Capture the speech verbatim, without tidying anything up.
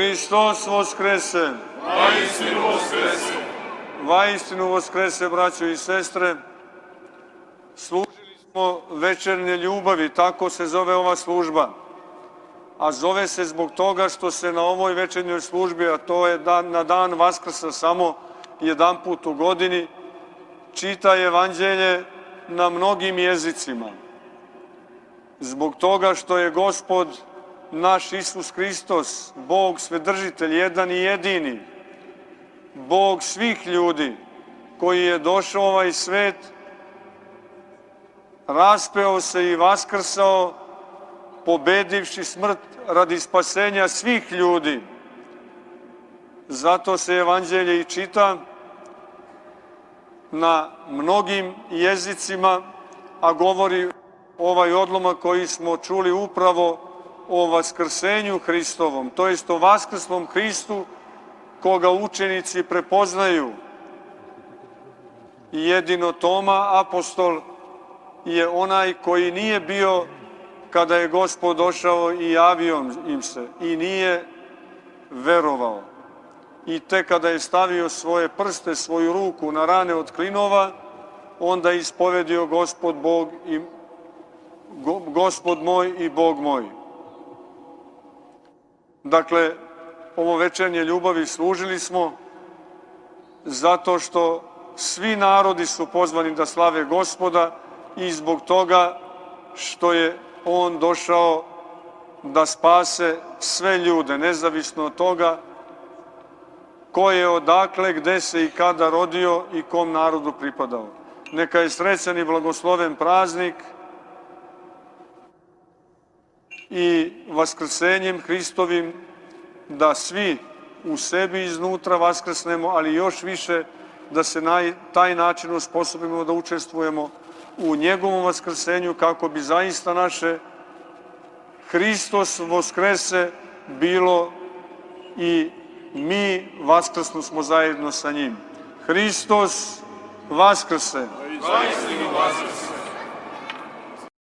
Hristos voskrese. Vaistinu voskrese. Vaistinu voskrese, braćo i sestre. Služili smo večernje ljubavi, tako se zove ova služba. A zove se zbog toga što se na ovoj večernjoj službi, a to je dan, na dan Vaskrsa samo jedan put u godini, čita evanđelje na mnogim jezicima. Zbog toga što je Gospod naš Isus Hristos, Bog Svedržitelj, jedan i jedini, Bog svih ljudi, koji je došao u ovaj svet, raspeo se i vaskrsao, pobedivši smrt radi spasenja svih ljudi. Zato se evanđelje i čita na mnogim jezicima, a govori ovaj odlomak koji smo čuli upravo o vaskrsenju Hristovom, to jest o vaskrslom Hristu koga učenici prepoznaju. I jedino Toma, apostol, je onaj koji nije bio kada je Gospod došao i javio im se i nije verovao. I tek kada je stavio svoje prste, svoju ruku na rane od klinova, onda je ispovedio Gospod Bog i Gospod moj i Bog moj. Dakle, ovo večernje ljubavi služili smo zato što svi narodi su pozvani da slave Gospoda i zbog toga što je On došao da spase sve ljude, nezavisno od toga ko je odakle, gde se i kada rodio i kom narodu pripadao. Neka je srećan i blagosloven praznik i vaskrsenjem Hristovim da svi u sebi iznutra vaskrsnemo, ali još više da se na taj način osposobimo da učestvujemo u njegovom vaskrsenju kako bi zaista naše Hristos voskrese bilo i mi vaskrsno smo zajedno sa njim. Hristos vaskrse. Vaistinu vaskrse.